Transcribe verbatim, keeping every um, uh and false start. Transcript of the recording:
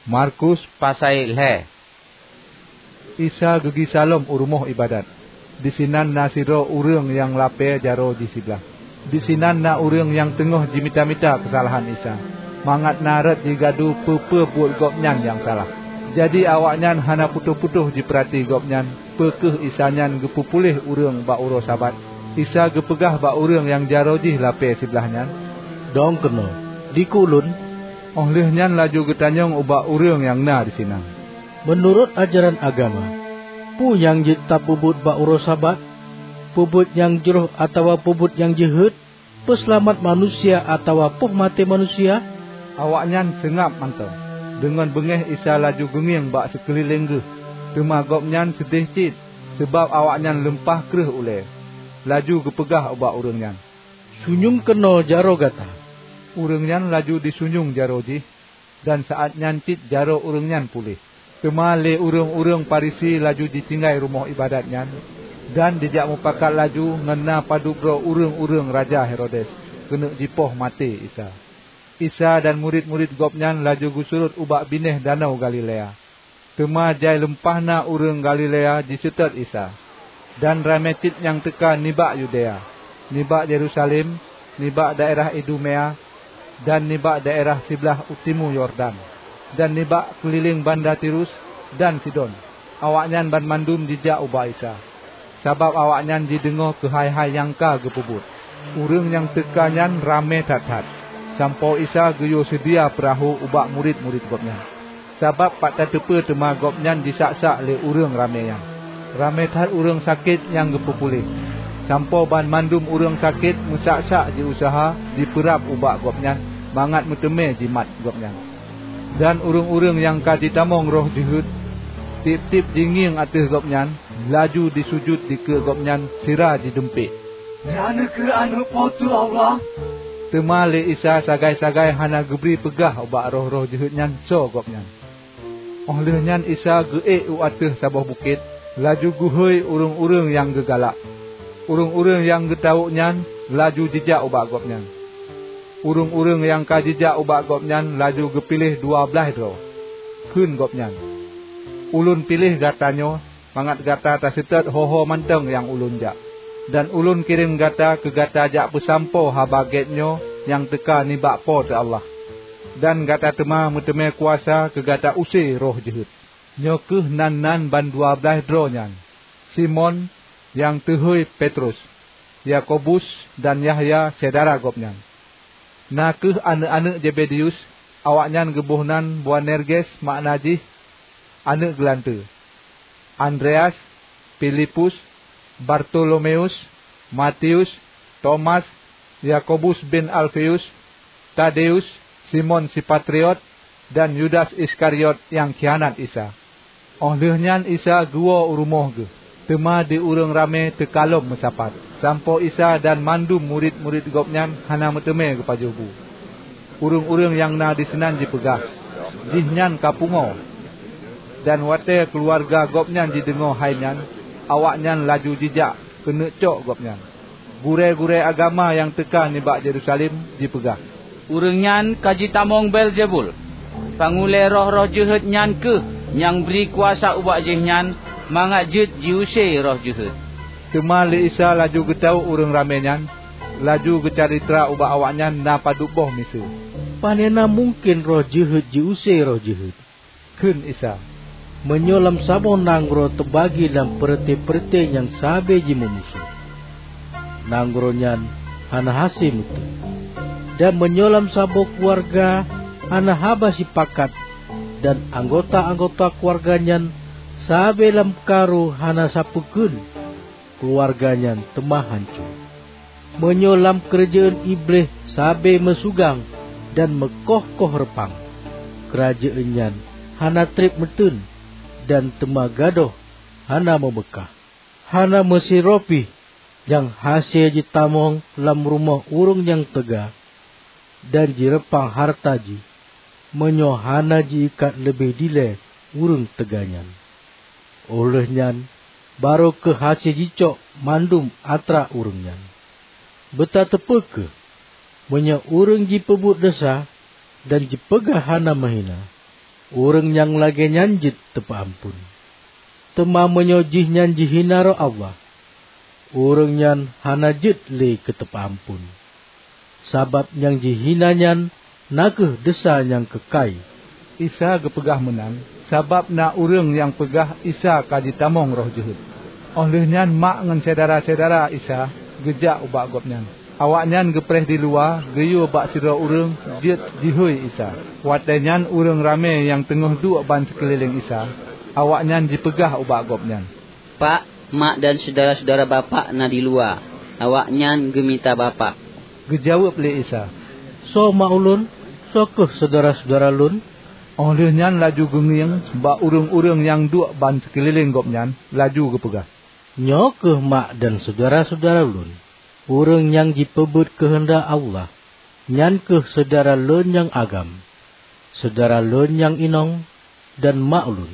Markus pasai lhée. Isa geugisa lom u rumoh iébadat. Disinan na sidroe ureuëng nyang lapée jaroe jih siblaih. Disinan na ureuëng nyang teungoh jimita-mita keusalahan Isa, mangat na rot jigadu peue-peue buet Gobnyan nyang salah. Jadi awaknyan hana putôh-putôh jipeurati Gobnyan, peu kheueh Isa nyan geupeupuléh ureuëng bak uroe Sabat. Isa geupeugah bak ureuëng nyang jaroe jih lapée siblaih nyan, "Dong keunoe, dikeue Ulôn." Óh lheueh nyan laju geutanyong ubak ureuëng nyang na disinan, "Meunurot ajaran agama, peue nyang jeuet tapeubuet bak uroe Sabat? Peubuet nyang jroh atawa peubuet nyang jeuhet? Peuseulamat manusia atawa poh maté manusia?" Awaknyan seungab mantong. Deungon beungéh Isa laju geungieng bak sikeulileng geuh, teuma Gobnyan seudeh cit, sabab awaknyan lumpah kreueh ulée. Laju geupeugah ubak ureuëng nyan, "Sunyueng keunoe jaroe gata." Ureuëng nyan laju jisunyueng jaroe jih, dan saát nyan cit jaroe ureuëng nyan puléh. Teuma lé ureuëng-ureuëng Farisi laju jitinggai rumoh iébadat nyan, dan jijak mupakat laju ngon na padub droe ureuëng-ureuëng Raja Herodes keuneuk jipoh maté Isa. Isa dan murit-murit Gobnyan laju geusurot ubak binéh Danau Galilea. Teuma jai lumpah na ureuëng Galilea jiseutôt Isa, dan ramé cit nyang teuka nibak Yudea, nibak Yerusalem, nibak daerah Idumea, dan nibak daerah siblaih u timu Yordan, dan nibak keulileng banda Tirus dan Sidon. Awaknyan banmandum jijak ubak Isa, sabab awaknyan jideungoe keuhai-hai nyang ka geupeubuet. Ureuëng nyang teuka nyan ramé that-that, sampoe Isa geuyue seudia peurahô ubak murit-murit Gobnyan, sabab pat tateupeue teuma Gobnyan jisak-sak lé ureuëng ramé nyan. Ramé that ureuëng sakét nyang geupeupuléh, sampoe banmandum ureuëng sakét meusak-sak jiuseuha jipeurab ubak Gobnyan mangat meuteumé jimat Gobnyan. Dan ureuëng-ureuëng nyang ka jitamong roh jeuhet, tieb-tieb jingieng ateueh Gobnyan, laju jisujut dikeue Gobnyan sira jidumpék, "Droeneueh kheueh Aneuëk Po teu Allah!" Teuma lé Isa sagai-sagai hana geubri peugah ubak roh-roh jeuhet nyan soe Gobnyan. Óh lheueh nyan Isa geuék u ateueh saboh bukét, laju geuhôi ureuëng-ureuëng nyang geugalak. Ureuëng-ureuëng nyang geutawök nyan laju jijak ubak Gobnyan. Ureuëng-ureuëng nyang ka jijak ubak Gobnyan laju geupiléh dua blaih droe. Kheun Gobnyan, "Ulôn piléh gata nyoe mangat gata taseutôt ho-ho mantong nyang Ulôn jak. Dan Ulôn kirém gata keu gata jak peusampoe Haba Gét nyoe nyang teuka nibak Po teu Allah. Dan gata teuma meuteumé kuasa keu gata use roh jeuhet." Nyoe kheueh nan-nan bandua blaih droe nyan: Simon, nyang teuhôi Petrus, Yakobus, dan Yahya syedara gobnyan. Na kheueh aneuëk-aneuëk Zebedeus, awaknyan geuboh nan Boanerges, makna jih "Aneuëk Geulanteue", Andreas, Filipus, Bartolomeus, Matius, Tomas, Yakobus bin Alfeus, Tadeus, Simon si Patriot, dan Yudas Iskariot nyang khianat Isa. Óh lheueh nyan Isa geuwoe u rumoh geuh, teuma di ureuëng ramé teuka lom meusapat, sampoe Isa dan mandum murit-murit Gobnyan hana meuteumé geupajoh bu. Ureuëng-ureuëng nyang na disinan jipeugah, "Jihnyan ka pungoe." Dan watée keuluwarga Gobnyan jideungoe hai nyan, awaknyan laju jijak keuneuk cok Gobnyan. Gurée-gurée agama nyang teuka nibak Yerusalem jipeugah, "Ureuëng nyan ka jitamong Beelzebul! Pangulée roh-roh jeuhet nyan kheueh nyang bri kuasa ubak jihnyan mangat jeuet jiuse roh jeuhet." Teuma lé Isa laju geutawök ureuëng ramé nyan, laju geucalitra ubak awaknyan na padub boh miseue, "Panena mungken roh jeuhet jiuse roh jeuhet?" Kheun Isa, "Meunyoe lam saboh nanggroe teubagi lam peureuté-peureuté nyang sabe jimeumusoh, nanggroe nyan hana hase meuteun. Dan meunyoe lam saboh keuluwarga hana haba sipakat dan anggota-anggota keuluwarga nyan sabe lam karu hana sapeue kheun, keuluwarga nyan teuma hanco. Meunyoe lam keurajeuen Iblih sabe meusugang dan meukoh-koh reupang, keurajeuen nyan hana treb meuteun dan teuma gadôh hana meumeukah. Hana meusidroe pih nyang hase jitamong lam rumoh ureuëng nyang teuga dan jireupang hareuta jih, meunyoe hana jiikat leubeh dilée ureuëng teuga nyan. Óh lheueh nyan, barô kheueh hase jicok mandum atra ureuëng nyan. Beutateupeue kheueh, meunyoe ureuëng jipeubuet desya dan jipeugah hana meuhina, ureuëng nyang lagée nyan jeuet teupeuamphon. Teuma meunyoe jihnyan jihina Roh Allah, ureuëng nyan hana jeuet lé keu teupeuamphon, sabab nyang jihina nyan na kheueh desya nyang keukai." Isa geupeugah meunan, sabab na ureuëng nyang peugah Isa ka jitamong roh jeuhet. Óh lheueh nyan mak ngon syedara-syedara Isa geujak ubak Gobnyan. Awaknyan geupreh diluwa geuyue bak sidroe ureuëng jeuet jihôi Isa. Watée nyan ureuëng ramé nyang teungoh duek ban sikeulileng Isa, awaknyan jipeugah ubak Gobnyan, "Pak, mak dan syedara-syedara Bapak na diluwa, awaknyan geumita Bapak." Geujaweueb lé Isa, "Soe mak ulôn? Soe kheueh syedara-syedara lôn?" Óh lheueh nyan laju geungieng bak ureuëng-ureuëng nyang duek ban sikeulileng Gobnyan, laju geupeugah, "Nyoe kheueh mak dan syedara-syedara lôn, ureuëng nyang jipeubeuet keuheundak Allah. Nyan kheueh syedara lôn nyang agam, syedara lôn nyang inong, dan mak ulôn.